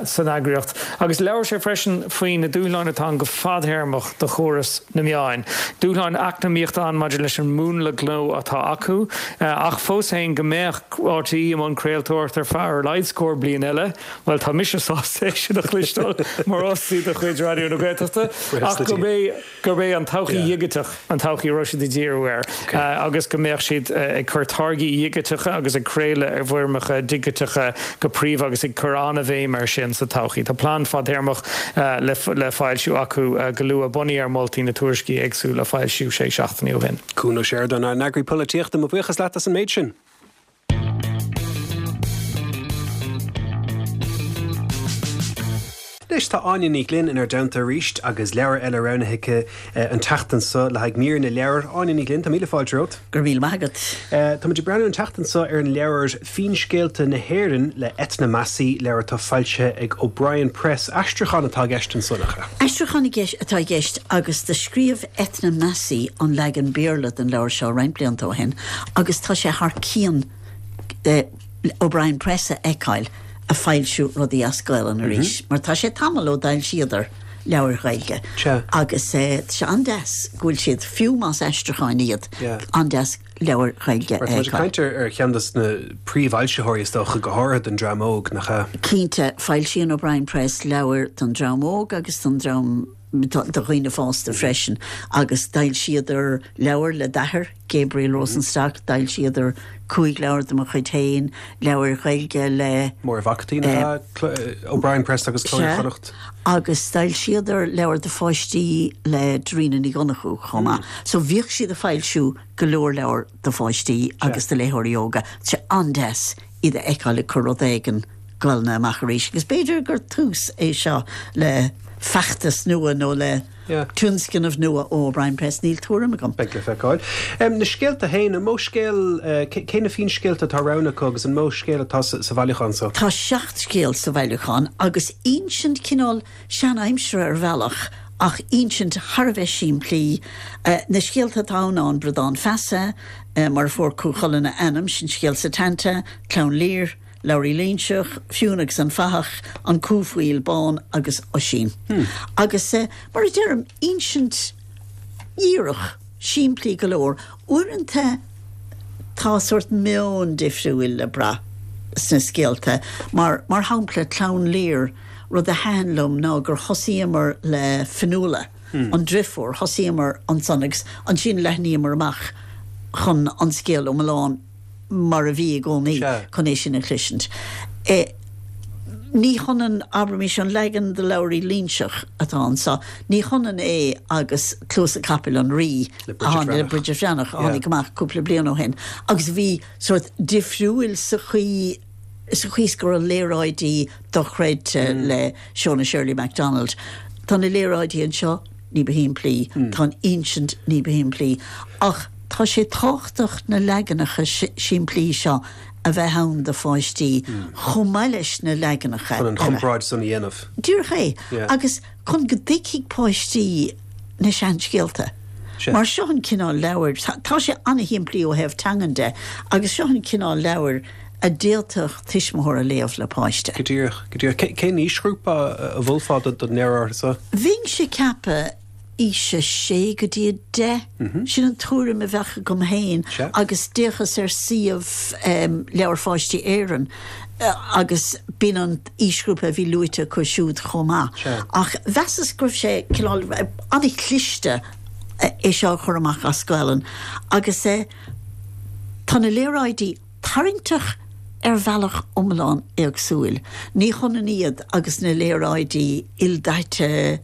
san eagraíocht. Agus labhair sé freisin faoi na dúshláin atá ann go fadthéarmach do chóras na meáin. Dúshláin eacnamaíochta ann maidir leis an múnla gnó atá acu, ach fós féin go mbeadh RTÉ i mbun craoltóireachta ar feadh ar a laghad scór bliain eile. Bhuel, tá mise sásta é sin a chloisteáil mar fhostaí de chuid Raidió na Gaeltachta, ach gurb é. gurb é an todhchaí dhigiteach an todhchaí a raibh siad ag díriú air agus go mbeadh siad ag cur táirgí dhigiteacha agus ag craoladh i bhfoirmeacha digiteacha go príomha agus ag cur an-bhéim air sin sa todhchaí. Tá plean fadtéarmach le foilsiú acu go luath, bunaithe ar mholtaí na tuairiscí éagsúla a foilsíodh sé seachtainí ó shin. Cuan Ó Seireadáin, ár n-eagraí polaitíochta, mo bhuíochas leat as an méid sin. Anois tá Áine Ní Ghlinn inár dteannta arís agus leabhar eile roghnaithe aici an tseachtain seo le haghaidh mír na leabhar. Áine Ní Ghlinn, tá míle fáilte romhat. Go raibh míle maith agat. Tá muid ag breathnú an tseachtain seo ar an leabhar Finscéalta na hÉireann le Eithne Massey, leabhar atá foilsithe ag O'Brien Press. Aistriúchán atá i gceist anso, nach ea? Aistriúchán atá i gceist agus do scríobh Eithne Massey an leagan Béarla den leabhar seo roinnt blianta ó shin agus tá sé thar cionn O'Brien Press a fheiceáil a foilsiú rudaí as Gaolainn arís mar tá sé tamall ó d'fhoilsíodar leabhair Ghaeilge agus tá sé an-deas go bhfuil siad, fiú más aistriúcháin iad, an-deas leabhair Ghaeilge a fheiceáil. Tá muid ag caint ar cheann de na príomhfhoilsitheoirí is dócha, go háirithe don dream óg, nach ea? Cinnte, foilsíonn O'Brien Press leabhair don dream óg agus don dream do dhaoine fásta freisin agus d'fhoilsíodar leabhar le d'athair, Gabriel Rosenstock, d'fhoilsíodar 5 leabhar de mo chuid féin, leabhair Ghaeilge le. Máire Mhac Caitín, nach ea? O'Brien Press agus Cló Iar-Chonnacht. Agus d'fhoilsíodar leabhar do pháistí le Dairena Ní Dhonnchú chomh maith. So bhíodh siad ag foilsiú go leor leabhar do pháistí agus do léitheoirí óga. Tá sé an-deas iad a fheiceáil ag cur rud éigin Gaelainne amach arís agus b'fhéidir gur tús é seo le feachtas nua nó le tionscnamh nua ó O'Brien Press, níl tuairim agam. Beidh le feiceáil. Na scéalta féin, an mó scéal, cé na finscéalta atá roghnaithe acu agus an mó scéal atá sa bhailiúchán so? Tá 7 scéal sa bhailiúchán agus insint cineál sean-aimsire ar bhealach ach insint thar a bheith simplí. Na scéalta atá ann ná An Bradán Feasa, Mar a Fuair Cú Chulainn a Ainm, Sin Scéal Setanta, Clann Lir, Labhraí Loingseach, Fionn agus an Fathach, An Cú Faoil Bán agus Oisín. Agus mar a deirim, insint dhíreach, simplí go leor. Uaireanta tá sórt meon difriúil le brath sna scéalta. Mar, mar shampla, Clann Lir, rud a thaitin liom ná gur thosaíomar le Fionnuala. an driofúr, thosaíomar ansan agus ansin leathnaíomar amach chun an scéal iomlán mar a bhí i gcónaí chun é sin a chloisint. Ní hionann, abraimis, an leagan de Labhraí Loingseach atá anso, ní hionann é agus Cluasa Capaill an Rí le Bridget Bhreathnach a tháinig amach cúpla bliain ó shin agus a bhí sórt difriúil sa chaoi sa chaoi is go raibh léaráidí dochreidte le Shona Shirley MacDonald. Tá na léaráidí anseo ní ba shimplí, tá an insint ní ba shimplí, ach tá sé tábhachtach na leaganacha simplí seo a bheith ann do pháistí chomh maith leis na leaganacha Chun an chomparáid san a dhéanamh. Díreach é. Agus chun go dtuigfidh páistí na seanscéalta. Mar seo an cineál leabhair, tá sé an-shimplí ó thaobh teangan de, agus seo an cineál leabhair a d'fhéadfadh tuismitheoir a léamh le páiste. Go díreach, go díreach. Cén aoisghrúpa a mholfá don leabhar seo? Bheinnse ag ceapadh aois a sé go dtí a deich. Sin an tuairim a bheadh agam féin agus d'fhéachas ar suíomh Leabhair Pháistí Éireann agus b'in an aoisghrúpa a bhí luaite acu siúd chomh maith. Ach mheasas go raibh sé cineál an-chliste é seo a chur amach as Gaelainn agus tá na léaráidí tarraingteach ar bhealach iomlán éagsúil. Ní hionann iad agus na léaráidí ildaite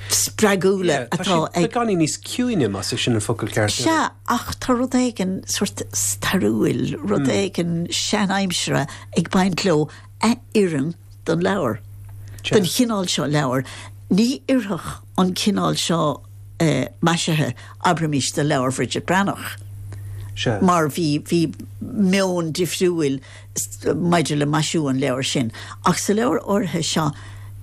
spreagúla atá ag. Beagáinín níos ciúine, más é sin an focal ceart. Sea, ach tá rud éigin sórt stairiúil, rud éigin sean-aimseartha ag baint leo a oireann don leabhar, don chineál seo leabhair. Ní oirfeadh an cineál seo maisithe, abraimis, do leabhar Bhridget Breathnach, mar bhí, bhí meon difriúil maidir le maisiú an leabhair sin. Ach sa leabhar áirithe seo,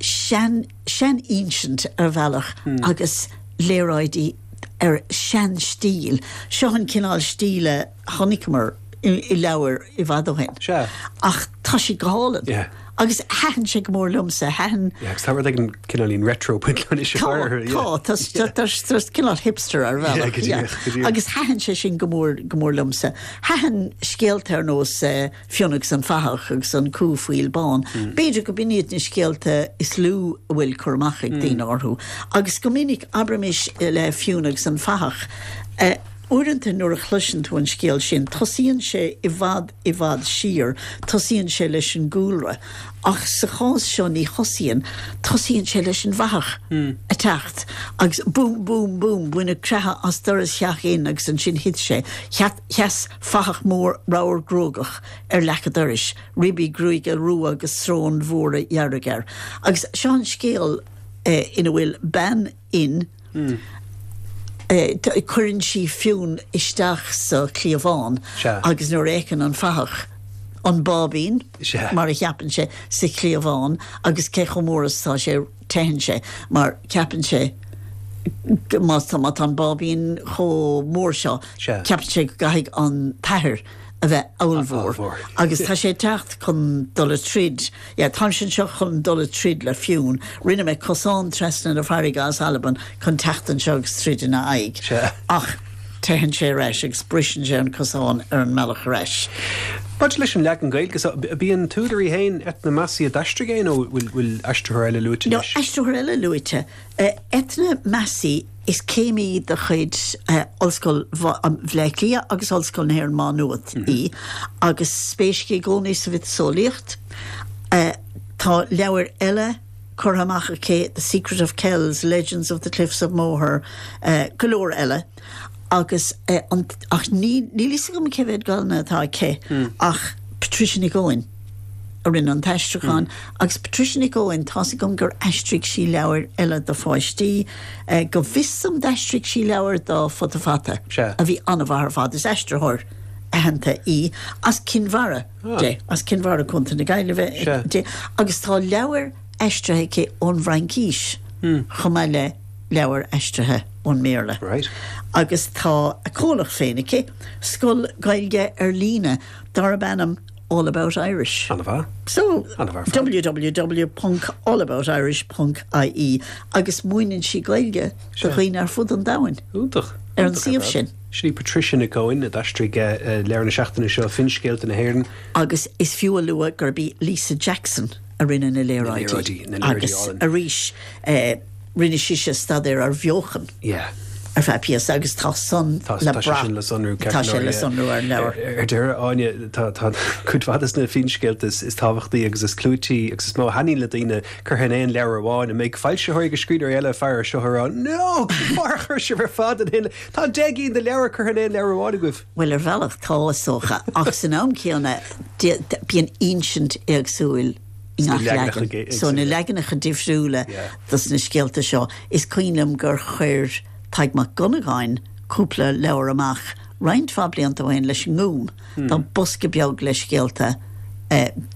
sean, sean-insint ar bhealach agus léaráidí ar sean-stíl. Seo an cineál stíle a chonaiceamar i leabhair i bhfad ó shin. Sea. Ach tá siad go hálainn. Yeah. Agus thaitin sé go mór liomsa. Thaitin. Yeah, agus tá rud éigin cineáilín retro ag baint leis Tá, tá, tá, tá, tá cineál hipster ar bhealach. Yeah, go díreach, go díreach. Agus thaitin sé sin go mór, go mór liomsa. Thaitin scéalta ar nós Fionn agus an Fathach agus an Cú Faoil Bán. B'fhéidir go b'in iad na scéalta is lú a bhfuil cur amach ag daoine orthu. Agus go minic, abraimis le Fionn agus an Fathach, Uaireanta nuair a chloiseann tú an scéal sin, tosaíonn sé i bhfad, i bhfad siar, tosaíonn sé leis an gcúlra. Ach sa chás seo ní thosaíonn, tosaíonn sé leis an bhfathach ag teacht agus búm, búm, búm, baineadh creathadh as doras theach Fhinn agus ansin thit sé. Sheas fathach mór ramhar gruagach ar leac an dorais, ribí gruaige rua agus sróin mhóra dhearg air. Agus seo an scéal ina bhfuil bean Fhinn. Cuireann sí Fionn isteach sa chliabhán agus nuair a fheiceann an fathach an báibín, mar a cheapann sé, sa chliabhán agus cé chomh mór is atá sé, teitheann sé mar ceapann sé má tá an báibín chomh mór seo, ceapann sé go gcaithfidh an t-athair a bheith ollmhór agus tá sé ag teacht chun dul ag troid. Yeah, táimse anseo chun dul ag troid le Fionn. Rinne mé cosán trasna na farraige as Albain chun teacht anseo agus troid ina aghaidh. Sea. Ach teitheann sé ar ais agus briseann sé an cosán ar an mbealach ar ais. Maidir leis an leagan Gaeilge so, ab í an t-údar í féin, Eithne Massey, a d'aistrigh é nó bhfuil aistritheoir eile luaite leis? No, aistritheoir eile luaite. Eithne Massey, is céimí de chuid Ollscoil Bhaile Átha Cliath agus Ollscoil na hÉireann Má Nuad í agus spéis aici i gcónaí sa mhiotaseolaíocht. Tá leabhair eile curtha amach aici, The Secret of Kells, Legends of the Cliffs of Moher, go leor eile agus ach níl fhios agam cé mhéad Gaelainne atá aici ach Patricia Nic Eoin. a rinne an t-aistriúchán, agus Patricia Nic Eoin, tá's agam gur aistrigh sí leabhair eile do pháistí, go bhfios dom d'aistrigh sí leabhar do Futa Fata, a bhí an-mhaith ar fad, is aistritheoir aitheanta í, as Cinn Mhara di, as Cinn Mhara, Contae na Gaillimhe di, agus tá leabhair aistrithe aici ón bhFraincís chomh maith le leabhair aistrithe ón mBéarla. Agus tá a comhlacht féin aici, scoil Gaeilge ar líne darb ainm All About Irish. An-mhaith. So, An-mhaith ar fad. www ponc allaboutirish ponc ie agus múineann sí Gaeilge do dhaoine ar fud an domhain. Iontach. Ar an suíomh sin. Sin í Patricia Nic Eoin a d'aistrigh leabhar na seachtaine seo, Finscéalta na hÉireann. Agus is fiú a lua gurb í Lisa Jackson a rinne na léaráidí. Na léaráidí, na léaráidí álainn. Agus arís. Rinne sise staidéar ar bheochan ar feadh píosa agus tá san le brath. Tá sé sin le sonrú, ceart go leor. Tá sé le sonrú ar an leabhar. Ar deireadh, Áine, tá cuid mhaith de na finscéalta is tábhachtaí agus is clúití agus is mó a thaitníonn le daoine curtha in aon leabhar amháin. An mbeidh foilsitheoirí agus scríbhneoirí eile ag faire air seo ag rá, No! Cén fáth ar chuir sibh ar fad in aon. Tá 10 gcinn de leabhair curtha in aon leabhar amháin agaibh! Bhuel, ar bhealach tá, is dócha, ach san am céanna bíonn insint éagsúil i ngach leagan. So na leaganacha difriúla dos na scéalta seo, is cuimhin liom gur chuir Tadhg Mac Dhonnagáin cúpla leabhar amach roinnt mhaith blianta ó shin leis an nGúm. Tá bosca beag le scéalta,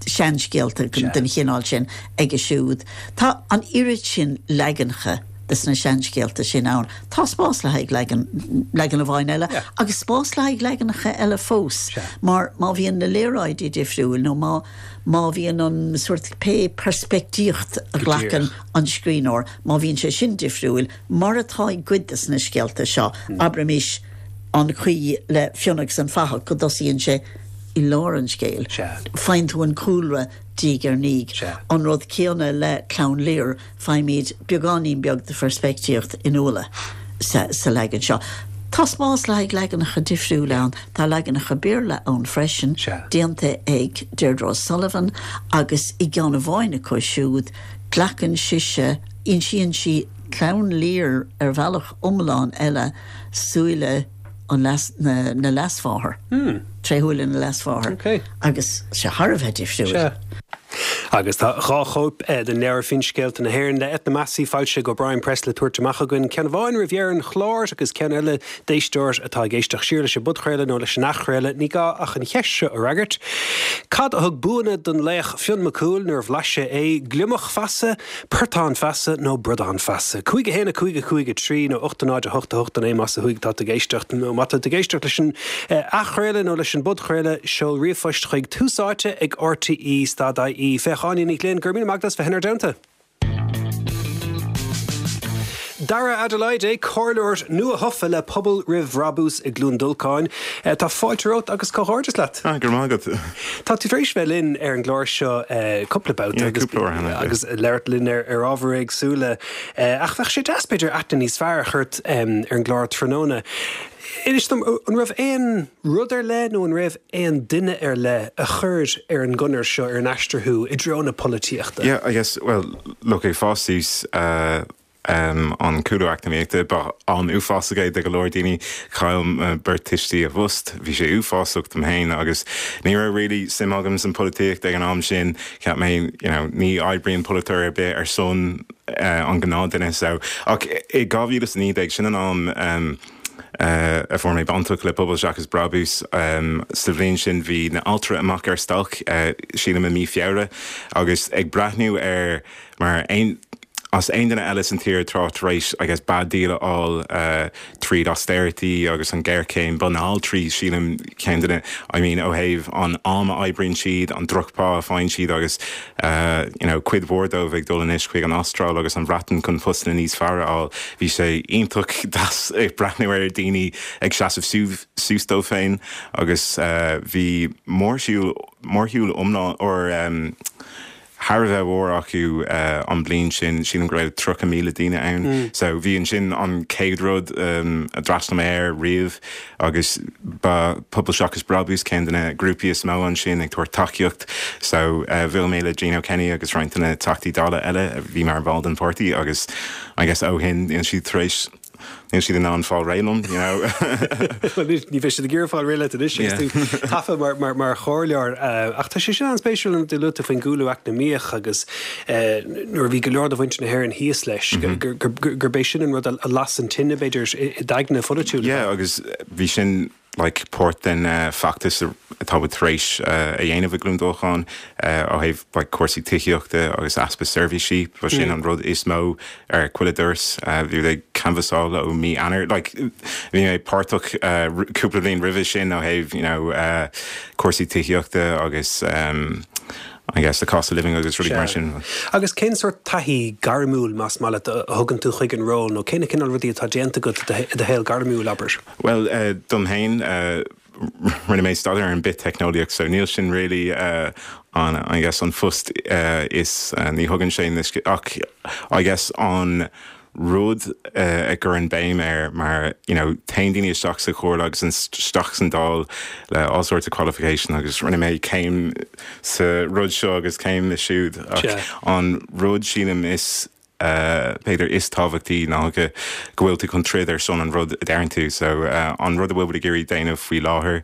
seanscéalta den chineál sin aige siúd. Tá an oiread sin leaganacha des na seanscéalta sin ann. Tá spás le haghaidh leagan, leagan amháin eile agus spás le haghaidh leaganacha eile fós mar má bhíonn na léaráidí difriúil nó má má bhíonn an sórt pé peirspictíocht a ghlacann an scríbhneoir, má bhíonn sé sin difriúil, mar atá i gcuid des na scéalta seo, abraimis an chaoi le Fionn agus an Fathach go dtosaíonn sé i lár an scéil, faigheann tú an cúlra diaidh ar ndiaidh. An rud céanna le Clann Lir. Faighimid beagáinín beag de pheirspictíocht Fhionnuala sa leagan seo. Tá spás le haghaidh leaganacha difriúla ann. Tá leaganacha Béarla ann freisin, déanta ag Deirdre O'Sullivan, agus i gceann amháin acu siúd, glacann sise, insíonn sí Clann Lir ar bhealach iomlán eile, súile an leas, na, na leasmháthar, tré shúile na leasmháthar, agus sé thar a bheith difriúil. Agus tá 2 chóip den leabhar Finscéalta na hÉireann le Eithne Massey foilsithe ag O'Brien Press le tabhairt amach againn, ceann amháin roimh dheireadh an chláir agus ceann eile d'éisteoir atá ag éisteacht siar leis an bpodchraoladh nó leis an athchraoladh. Ní gá ach an cheist seo a fhreagairt. Cad a thug buanna don laoch Fionn Mac Cumhaill nuair a bhlais sé é? Gliomach feasa? Portán feasa nó bradán feasa? 5 1 5 5 3 nó 8 0 8 8 9 más ó thuaidh atá tú ag éisteacht nó má tá tú ag éisteacht leis an athchraoladh nó leis an bpodchraoladh, seol ríomhphost chuig Tús Áite ag RTÉ stad IE. Féach Áine Ní Ghlinn, go raibh míle maith agat as bheith inár dteannta. Dara Adelaide, comhairleoir nua-thofa le Pobal Roimh Bhrabús i gCluain Dolcáin. Tá fáilte romhat agus comhghairdeas leat. Ah, go raibh maith agat. Tá tú tar éis bheith linn ar an gclár seo cúpla babhta agus agus labhairt linn ar ábhair éagsúla ach bheadh sé deas b'fhéidir aithne níos fearr a chur ort ar an gclár tráthnóna. Inis dom, an raibh aon rud ar leith nó an raibh aon duine ar leith a chuir ar an gconair seo, ar an aistear thú i dtreo na polaitíochta? Yeah, I guess, well, look, ag fás suas, an cúlú eacnamaíochta. Ba am uafásach é do go leor daoine. Chaill mo beirt tuistí a bpost. Bhí sé uafásach dom féin agus ní raibh really suim agam san polaitíocht ag an am sin. Cheap mé, you know, ní oibríonn polaiteoir ar bith ar son an gnáthduine so. Ach i 2019, sin an am a fuair mé bainteach le Pobal Seachas Brabús. Sa bhliain sin bhí na altraí amach ar stailc, sílim i mí Feabhra, agus ag breathnú ar Mar aon as aon duine eile san tír atá tar éis I guess bad deal a fháil tríd austerity agus an géarchéim, ba na altraí sílim ceann de na I mean ó thaobh an am a oibríonn siad, an drochphá a faigheann siad agus you know cuid mhór dóibh ag dul anois chuig an Astráil agus an Bhreatain chun postanna níos fearr a fháil. Bhí sé iontach deas ag breathnú ar daoine ag seasamh suas dóibh féin agus bhí mórshiúl mórshiúl iomlán or thar a bheith mhór acu an bliain sin, sílim go raibh 30,000 daoine ann. So bhí ansin an chéad rud a d'fhreastail mé air riamh agus ba Pobal Seachas Brabús ceann de na grúpaí is mó ansin ag tabhairt tacaíocht. So bhuail mé le Gino Kenny agus roinnt de na Teachtaí Dála eile a bhí mar bhall den pháirtí agus I guess ó shin níl siad tar éis Níl siad in ann fáil réidh liom, you know. Bhuel, ní bheidh siad ag iarraidh fáil réidh leat anois agus tú tofa mar chomhairleoir. Ach tá sé sin an-spéisiúil an rud a luaigh tú faoin gcúlú eacnamaíoch agus nuair a bhí go leor de mhuintir na hÉireann thíos leis, gurb é sin an rud a las an tine, b'fhéidir, i d'aigne pholaitiúil. Yeah, agus bhí sin like páirt den feachtas atá muid tar éis a dhéanamh i gCluain Dolcáin ó thaobh like cúrsaí tithíochta agus easpa seirbhísí, ba sin an rud is mó ar chuile doras. Bhí muid ag canbhasáil ó mí Eanáir, like bhí mé páirteach cúpla bliain roimhe sin ó thaobh you know cúrsaí tithíochta agus I guess the cost of living agus rudaí mar sin. Agus cén sórt taithí gairmiúil, más maith leat, a thugann tú chuig an ról nó cé na cineál rudaí atá déanta agat i do shaol gairmiúil, abair? Bhuel, dom féin, rinne mé staidéar ar an bith-teicneolaíocht so níl sin really an, I guess, an phost is, ní thugann sé na, ach I guess an. rud a gcuirim béim air mar you know téann daoine isteach sa chomhairle agus isteach san Dáil le all sorts of qualification agus rinne mé céim sa rud seo agus céim siúd ach an rud sílim is b'fhéidir is tábhachtaí ná go go bhfuil tú chun troid ar son an rud a deireann tú so an rud a bhfuil muid ag iarraidh déanamh faoi láthair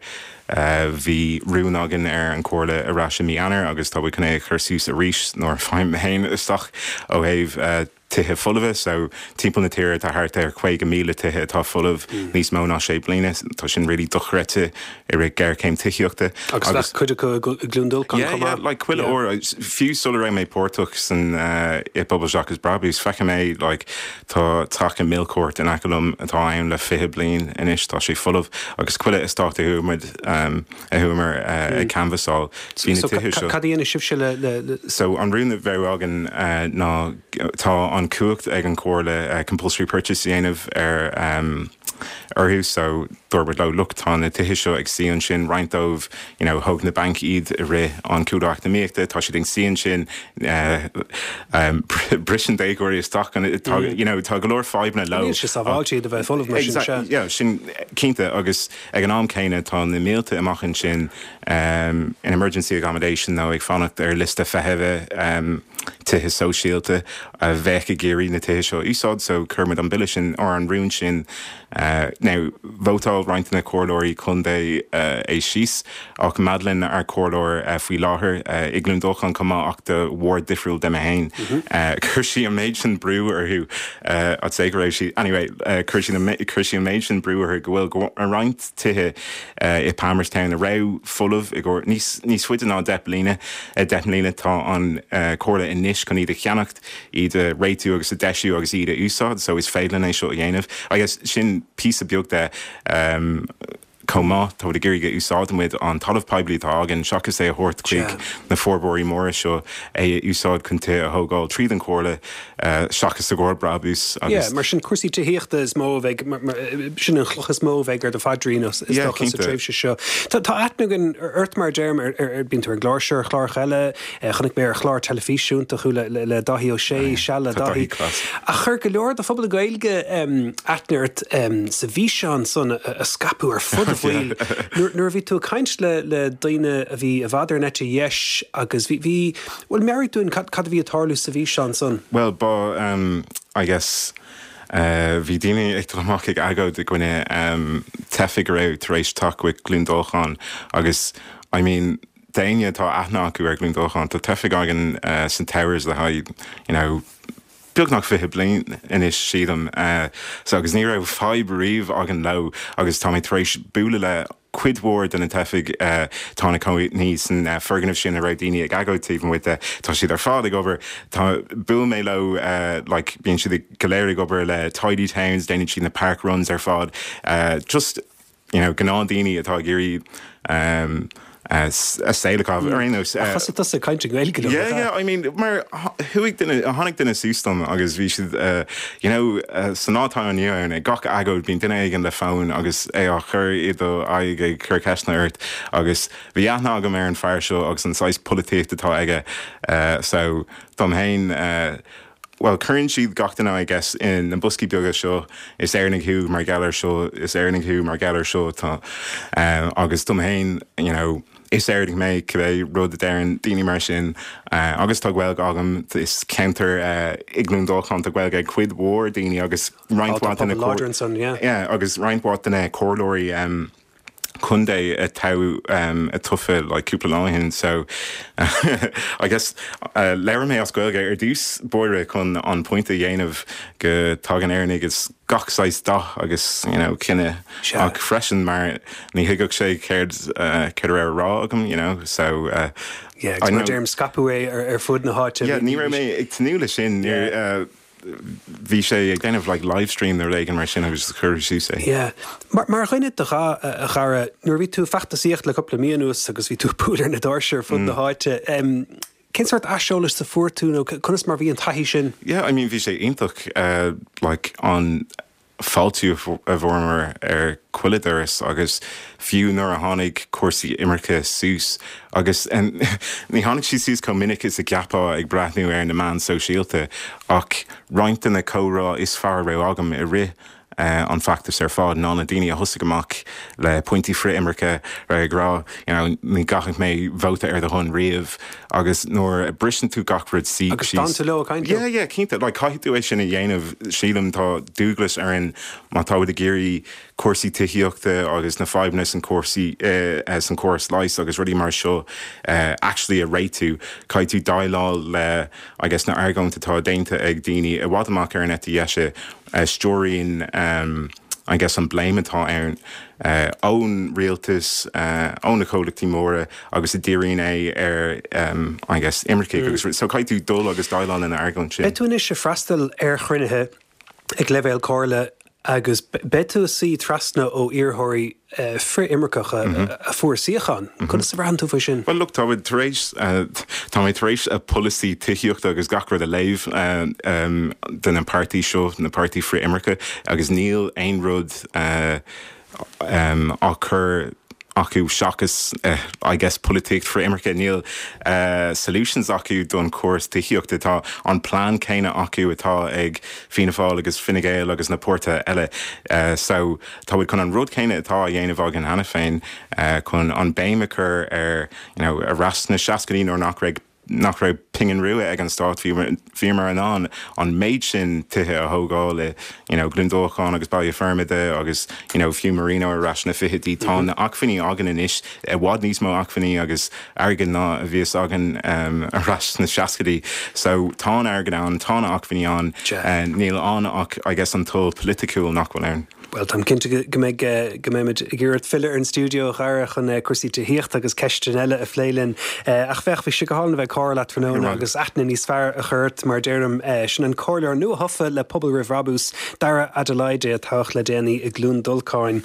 bhí rún againn ar an chomhairle ar ais i mí Eanáir agus tá muid chun é a chur suas arís nuair a faighim mé féin isteach ó thaobh tithe folmha. So, timpeall na tíre tá thart ar 50,000 tithe atá folamh níos mó ná sé bliana. Tá sin really dochreidte i rith géarchéim tithíochta. Agus bheadh cuid acu i gCluain Dolcáin chomh maith. Yeah, yeah, like chuile uair, fiú sula raibh mé páirteach san i bPobal Seachas Brabús, feicim é, like tá teach i Millcourt in aice liom atá ann le 20 bliain anois, tá sé folamh agus chuile eastát a chuaigh muid, a chuamar ag canbhasáil, bhí na tithe seo. Cad a dhéanfaidh sibhse le, le. So an rún a bheadh againn ná tá an chumhacht ag an Chomhairle compulsory purchase a dhéanamh ar orthu so dúirt muid leo look tá na tithe seo ag suí ansin, roinnt dóibh you know thóg na bainc iad i rith an chúlú eacnamaíochta, tá siad ag suí ansin briseann déagóirí isteach tá you know tá go leor fadhbanna leo. Níl sé sábháilte iad a bheith folamh mar sin, sea. Yeah, sin cinnte agus Ag an am céanna, tá na mílte amach ansin in emergency accommodation nó ag fanacht ar liosta feithimhe tithe sóisialta a bheadh ag iarraidh na tithe seo a úsáid. So chuir muid an bille sin, or an rún sin, now vótáil roinnt de na comhairleoirí contae é síos ach Madeline, ár comhairleoir faoi láthair i gCluain Dolcáin chomh maith ach do ward difriúil de mé féin, chuir sí an méid sin brú orthu, I'd say go raibh sí, anyway, chuir sí chuir sí an méid sin brú orthu go bhfuil roinnt tithe i Palmerstown a raibh folamh i gcomhair níos níos faide ná 10 bliana, 10 mbliana. Tá an Chomhairle anois chun iad a cheannacht, iad a réitiú agus a deisiú agus iad a úsáid so is féidir linn é seo a dhéanamh. I guess sin píosa beag de. Chomh maith, tá muid ag iarraidh go úsáideann muid an talamh poiblí atá againn, seachas é a thabhairt chuig na forbróirí móra seo, é a úsáid chun tithe a thógáil tríd an Chomhairle, seachas i gcomhair brabús agus. Yeah, mar sin cúrsaí tithíochta is mó a bheidh, sin an chloch is mó a bheidh ar do phaidrín is dócha sa tréimhse seo. Tá aithne againn ort mar a deirim, bíonn tú ar an gclár seo, ar chláracha eile, Chonaic mé ar chlár teilifíse iontach thú le Dáithí Ó Sé, Seal le Dáithí. Ach chuir go leor de phobal na Gaeilge aithne ort sa bhfíseán san a scaipeadh ar fud an bhaill nuair a bhí tú ag caint le daoine a bhí i bhfad ar an eite dheis agus bhí, bhí, bhuel meabhraigh dúinn cad a bhí ag tarlú sa bhfíseán san. Bhuel, ba, I guess, bhí daoine ag dul amach ag agóid i gcoinne teifigh a raibh tar éis teacht chuig Cluain Dolcáin agus, I mean, D'éinne atá aithne acu ar Chluain Dolcáin, tá teifigh againn sna Towers le haghaidh, you know, beagnach 20 bliain anois, sílim. So, agus ní raibh fadhb riamh againn leo agus tá mé tar éis bualadh le cuid mhór de na teifigh atá ina cónaí san foirgneamh sin a raibh daoine ag agóid taobh amuigh de. Tá siad ar fad ag obair. Tá, bhuail mé leo, like, bíonn siad go léir ag obair le Tidy Towns, déanann siad na park runs ar fad. Just, you know, gnáthdhaoine atá ag iarraidh a saol a chaitheamh ar aon nós. Ach thosaigh tusa ag caint i nGaeilge leo, Yeah, yeah, I mean, mar chuaigh duine, tháinig duine suas dom agus bhí siad, you know, sa lá atá inniu ann, ag gach agóid bíonn duine éigin le fón agus é á chur i do aghaidh ag cur ceisteanna ort agus bhí aithne agam ar an fear seo agus an saghas polaitíocht atá aige so dom féin, Bhuel, cuireann siad gach duine, I guess, in na boscaí beaga seo, is Éireannaigh thú mar gheall ar seo, is Éireannaigh thú mar gheall ar seo, tá, agus dom fhéin, you know, is Éireannach mé, cibé rud a deireann daoine mar sin, agus tá Gaeilge agam, is ceantar i gCluain Dolcáin, tá Gaeilge ag cuid mhór daoine agus roinnt mhaith de na, yeah, agus roinnt mhaith de na comhairleoirí, contae a toghadh a tofa like cúpla lá ó shin so I guess labhair mé as Gaeilge ar dtús báire chun an pointe a dhéanamh go dtagann Éireannaigh as gach saghas dath agus you know cine ach freisin mar ní thuigfeadh sé céard céard a raibh a rá agam you know so Yeah, agus mar deirim scaipeadh é ar fud na háite. Yeah, ní raibh mé ag tnúth leis sin. bhí sé ag déanamh like live stream nó rud éigin mar sin agus chuir suas é. Yeah. Mar, mar dhuine de dhath, a Dhara, nuair a bhí tú ag feachtasaíocht le cúpla mí anuas agus bhí tú ag bualadh ar na doirse ar fud na háite, em, cén sórt aiseolais a fuair tú nó conas mar bhí an taithí sin? Yeah, I mean bhí sé iontach, eh, like an. fáiltiú a bhfuaireamar ar chuile doras agus fiú nuair a tháinig cúrsaí imirce suas, agus ní tháinig sí suas chomh minic is a cheapfá ag breathnú ar na meáin sóisialta, ach roinnt de na comhrá is fearr a raibh agam i rith an feachtas ar fad ná na daoine a thosaigh amach le pointí frith-imirce, ag rá you know ní gcaithfidh mé vóta ar do shon riamh agus nuair a briseann tú gach rud síos. Agus d'fhan tú leo ag caint leo? Yeah, yeah, cinnte. Like caithfidh tú é sin a dhéanamh. Sílim tá dualgas orainn má tá muid ag iarraidh cúrsaí tithíochta agus na fadhbanna san cúrsaí san córas leighis agus rudaí mar seo actually a réitiú, caithfidh tú déileáil le I guess na argóint atá déanta ag daoine i bhfad amach ar an eite dheise a stiúraíonn I guess an blame atá ann ón rialtas, ó na comhlachtaí móra agus a dhíríonn é ar I guess imircigh agus so caithfidh tú dul agus déileáil lena argóint sin. Beidh tú anois ag freastal ar chruinnithe ag leibhéal comhairle agus beidh tú ag suí trasna ó iarrthóirí frith-imirceacha a fuair suíochán. Conas a bhraitheann tú faoi sin? Bhuel, look, tá muid tar éis, tá mé tar éis a polasaí tithíochta agus gach rud a léamh de na páirtí seo, na páirtí frith-imirce, agus níl aon rud á chur acu seachas, I guess, polaitíocht frith-imirce. Níl solutions acu don chóras tithíochta. Tá an plean céanna acu atá ag Fianna Fáil agus Fine Gael agus na páirtithe eile. So, tá muid chun an rud céanna atá á dhéanamh againn cheana féin, chun an béim a chur ar, you know, ar ais sna seascaidí nuair nach raibh, nach raibh pingin rua ag an stát, bhíomar in ann an méid sin tithe a thógáil i, you know, Cluain Dolcáin agus Baile Formaide agus, you know, fiú Marino ar ais sna fichidí. Tá na acmhainní againn anois, i bhfad níos mó acmhainní agus airgead ná a bhíos againn ar ais sna seascaidí. So, tá an airgead ann, tá na acmhainní ann, níl ann ach, I guess, an toil polaiticiúil nach bhfuil ann. Bhuel, táim cinnte go mbeidh, go mbeimid ag iarraidh ort filleadh ar an stiúideo, a Dhara, chun cúrsaí tithíochta agus ceisteanna eile a phlé linn. Ach féach, bhí sé go hálainn a bheith ag comhrá leat tráthnóna agus aithne níos fearr a chur ort, mar a deirim. Sin an comhairleoir nua-thofa le Pobal Roimh Bhrabús, Dara Adelaide, a toghadh le déanaí i gCluain Dolcáin.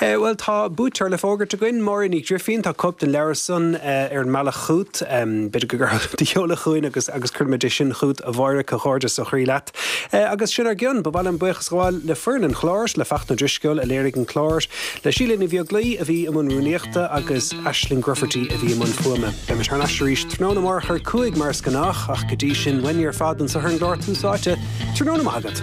Bhuel, tá buaiteoir le fógairt againn, Máire Ní Ghrifín. Tá cóip den leabhar san ar an mbealach chugat. B'fhéidir go gcuirfeá do sheoladh chugainn agus agus cuirfimid é sin chugat, a Mháire. Comhghairdeas ó chroí leat. Agus sin ár gcionn. Ba mhaith liom buíochas a ghabháil le foireann an chláir, le Fachtna Ó Drisceoil a léirigh an clár, le Síle Ní Bheaglaoi a bhí i mbun rúnaíochta agus Aisling Grufferty a bhí i mbun fuaime. Beimid thar n-ais arís tráthnóna amárach ar 5 mar is gnách ach go dtí sin, uainne ar fad anseo ar an gclár Tús Áite, tráthnóna maith agat.